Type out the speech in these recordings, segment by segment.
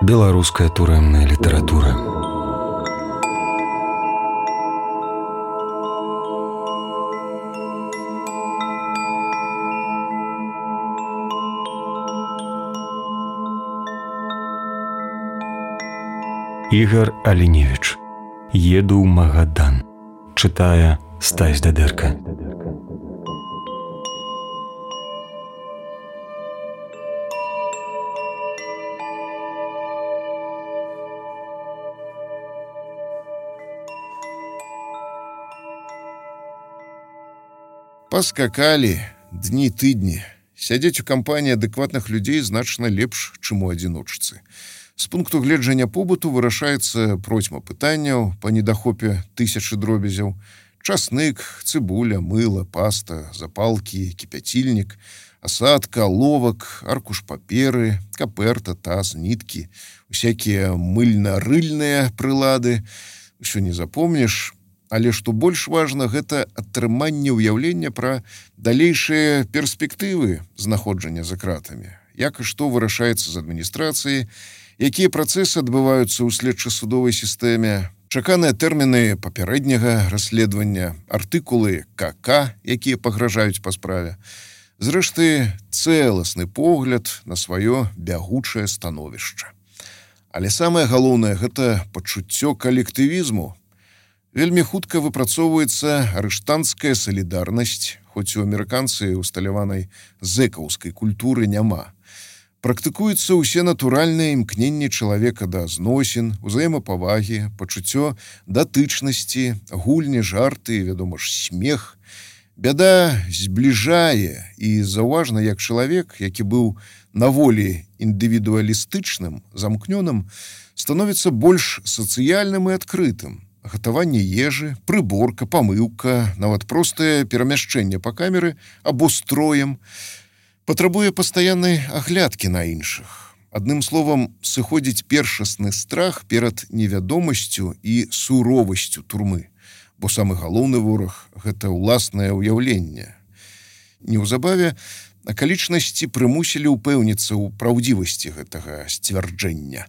Беларуская турэмная літаратура. Ігар Аліневіч. Еду ў Магадан. Чытае Стась Дадэрка. Паскакалі дні-тыдні. Сядзець у кампаніі адэкватных людзей значна лепш, чым у адзіночцы. З пункту гледжання побыту вырашаецца процьма пытанняў па недахопе тысячы дробязяў. Часнык, цыбуля, мыла, паста, запалкі, кіпяцільнік, асадка, аловак, аркуш паперы, каперта, таз, ніткі, усякія мыльна-рыльныя прылады. Усё не запомніш, але што больш важна, гэта атрыманне ўяўлення пра далейшыя перспектывы знаходжання за кратамі. Як і што вырашаецца з адміністрацыяй, якія працэсы адбываюцца ў следча-судовай сістэме, чаканыя тэрміны папярэдняга расследавання, артыкулы КК, якія пагражаюць па справе. Зрэшты, цэласны погляд на сваё бягучае становішча. Але самае галоўнае – гэта пачуццё калектывізму. Вельмі хутка выпрацоўваецца арыштанцкая салідарнасць, хоць у амерыканцы усталяванай зэкаўскай культуры няма. Практыкуюцца ўсе натуральныя імкненні чалавека да зносін, узаемапавагі, пачуццё датычнасці, гульні, жарты, вядома ж, смех. Бяда збліжае, і заўважна, як чалавек, які быў на волі індывідуалістычным, замкнёным, становіцца больш сацыяльным і адкрытым. Гатаванне ежы, прыборка, памыўка, нават простае перамяшчэнне па камеры або строем патрабуе пастаяннай аглядкі на іншых. Адным словам, сыходзіць першасны страх перад невядомасцю і суровасцю турмы, бо самы галоўны вораг – гэта ўласнае ўяўленне. Неўзабаве акалічнасці прымусілі ўпэўніцца ў праўдзівасці гэтага сцвярджэння.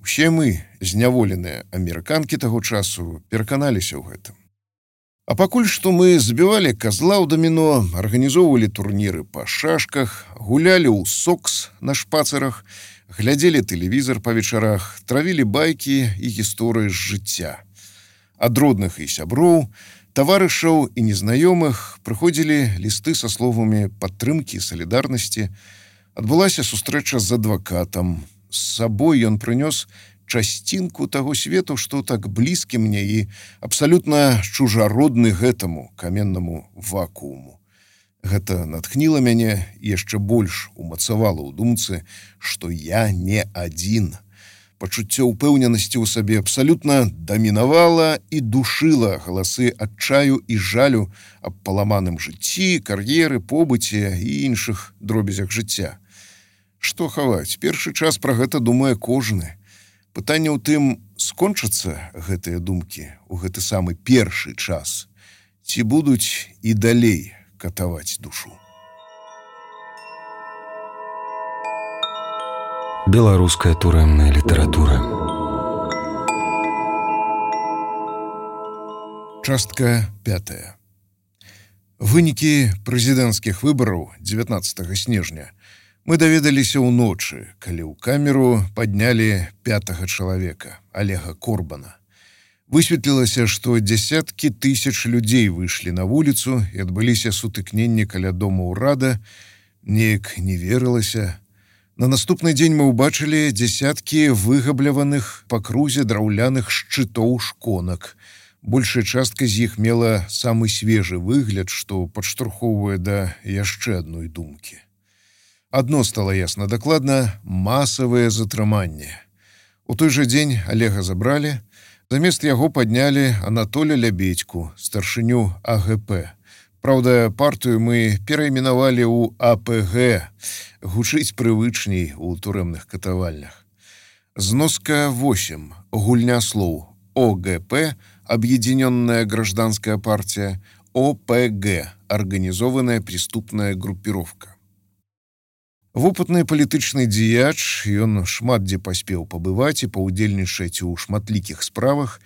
Усе мы, зняволеныя амерыканкі таго часу, пераканаліся ў гэтым. А пакуль што мы збівалі казла ў даміно, арганізоўвалі турніры па шашках, гулялі ў сокс на шпацырах, глядзелі тэлевізар па вечарах, травілі байкі і гісторыі з жыцця. Ад родных і сяброў, таварышаў і незнаёмых прыходзілі лісты са словамі падтрымкі і салідарнасці. Адбылася сустрэча з адвакатам. З сабой ён прынёс часцінку таго свету, што так блізкі мне і абсалютна чужародны гэтаму каменнаму вакууму. Гэта натхніла мяне і яшчэ больш умацавала ў думцы, што я не адзін. Пачуццё ўпэўненасці ў сабе абсалютна дамінавала і душыла галасы адчаю і жалю аб паламаным жыцці, кар'еры, побыце і іншых дробязях жыцця. Што хаваць, першы час пра гэта думае кожны. Пытанне ў тым, скончацца гэтыя думкі ў гэты самы першы час, ці будуць і далей катаваць душу. Беларуская турэмная літаратура. Частка 5. Вынікі прэзідэнцкіх выбараў 19 снежня мы даведаліся ўночы, калі ў камеру паднялі 5-га чалавека, Олега Корбана. Высветлілася, што дзясяткі тысяч людзей выйшлі на вуліцу і адбыліся сутыкненні каля дома ўрада. Неяк не верылася. На наступны дзень мы ўбачылі дзясяткі выгабляваных па крузе драўляных шчытоў шконак. Большая частка з іх мела самы свежы выгляд, што падштурхоўвае да яшчэ адной думкі. Адно стала ясна дакладна – масавае затрыманне. У той жа дзень Олега забралі, замест яго паднялі Анатоля Лябедьку, старшыню АГП. Праўда, партыю мы перайменавалі ў АПГ, гучыць прывычней у турэмных катавальнях. Зноска 8. Гульня слоў. ОГП – Объединенная гражданская партия, ОПГ – Организованная преступная группировка. Вопытны палітычны дзеяч, ён шмат дзе паспеў пабываць і паўдзельнічаць у шматлікіх справах.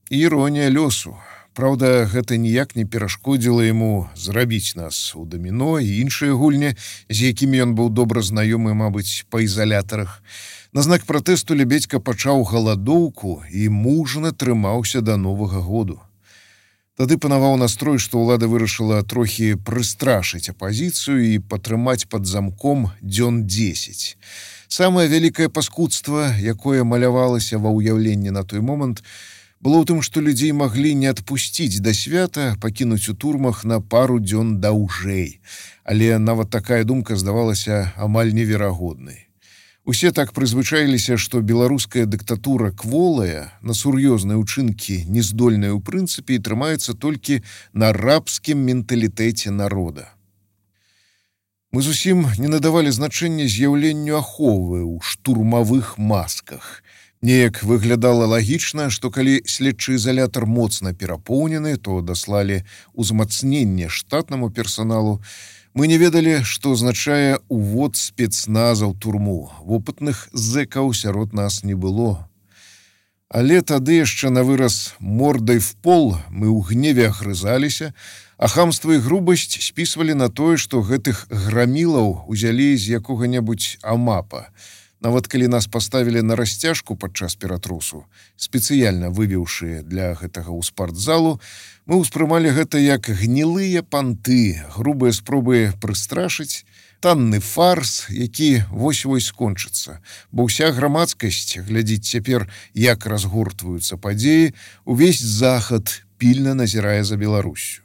І іронія лёсу. Праўда, гэта ніяк не перашкодзіла яму зрабіць нас у даміно і іншыя гульні, з якімі ён быў добра знаёмы, мабыць, па ізалятарах. На знак пратэсту Лебедзька пачаў галадоўку і мужна трымаўся да Новага году. Тады панаваў настрой, што ўлада вырашыла трохі прыстрашыць апазіцыю і патрымаць пад замком дзён 10. Самае вялікае паскудства, якое малявалася ва ўяўленні на той момант, было ў тым, што людзей маглі не адпусціць да свята, пакінуць у турмах на пару дзён даўжэй. Але нават такая думка здавалася амаль неверагоднай. Усе так прызвычаіліся, што беларуская дыктатура кволая, на сур'ёзныя ўчынкі нездольная ў прынцыпе і трымаецца толькі на рабскім менталітэце народа. Мы зусім не надавалі значэння з'яўленню аховы ў штурмавых масках. Неяк выглядала лагічна, што калі следчы ізалятар моцна перапоўнены, то даслалі ўзмацненне штатнаму персаналу. Мы не ведалі, што азначае увод спецназа ў турму. Вопытных зэкаў сярод нас не было. Але тады яшчэ на выраз мордай в пол мы ў гневе агрызаліся, а хамства і грубасць спісвалі на тое, што гэтых грамілаў узялі з якога-небудзь амапа. Нават калі нас паставілі на расцяжку падчас ператрусу, спецыяльна вывеўшы для гэтага ў спартзалу, мы ўспрымалі гэта як гнілыя панты, грубыя спробы прыстрашыць, танны фарс, які вось-вось скончыцца, бо ўся грамадскасць глядзіць цяпер, як разгортваюцца падзеі, увесь захад пільна назірае за Беларуссю.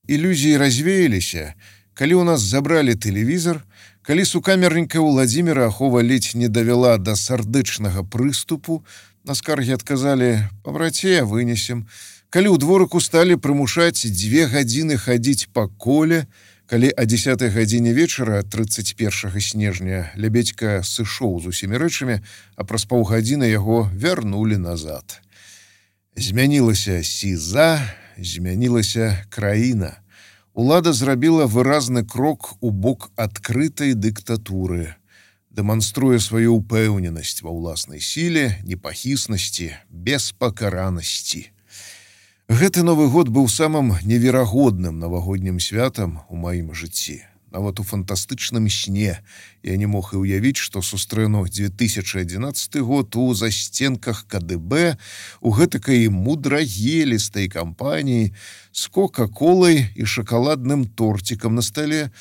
Ілюзіі развеяліся, калі ў нас забралі тэлевізор, калі сукамерненькая Владзіміра ахова ледзь не давяла да сардычнага прыступу, на скаргі адказалі: «Пабраце, вынесем». Калі ў дворыку сталі прымушаць 2 гадзіны хадзіць па коле, калі о 10 гадзіне вечара 31 снежня Лебедзька сышоў з усімі рэчамі, а праз паўгадзіны яго вярнулі назад. Змянілася сіза, змянілася краіна. Улада зрабіла выразны крок у бок адкрытай дыктатуры, дэманструе сваю ўпэўненасць ва ўласнай сіле, непахіснасці, беспакаранасці. Гэты Новы год быў самым неверагодным навагоднім святам у маім жыцці. Нават у фантастычным сне я не мог і ўявіць, што сустрэну 2011 год у застенках КДБ, у гэтакай мудрагелістай кампаніі з кока-колай і шакаладным торцікам на стале,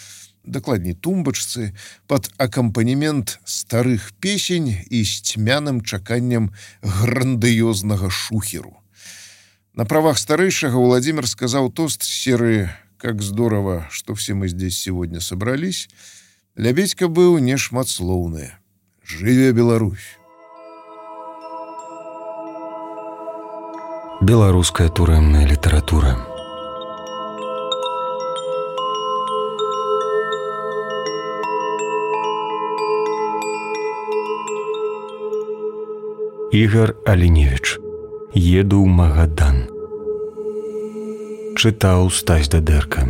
дакладней тумбачцы, пад акампанемент старых песень і з цьмяным чаканнем грандыёзнага шухеру. На правах старэйшага Владимир сказаў тост з серыі «Как здорово, что все мы здесь сегодня собрались». Лебедька быў нешматслоўны. Жыве Беларусь! Беларуская турэмная літаратура. Ігар Аліневіч. Еду ў Магадан. Чытаў Стась Дадэрка.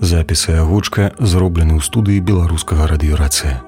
Запіс і агучка зроблены ў студыі беларускага радыёрацыя.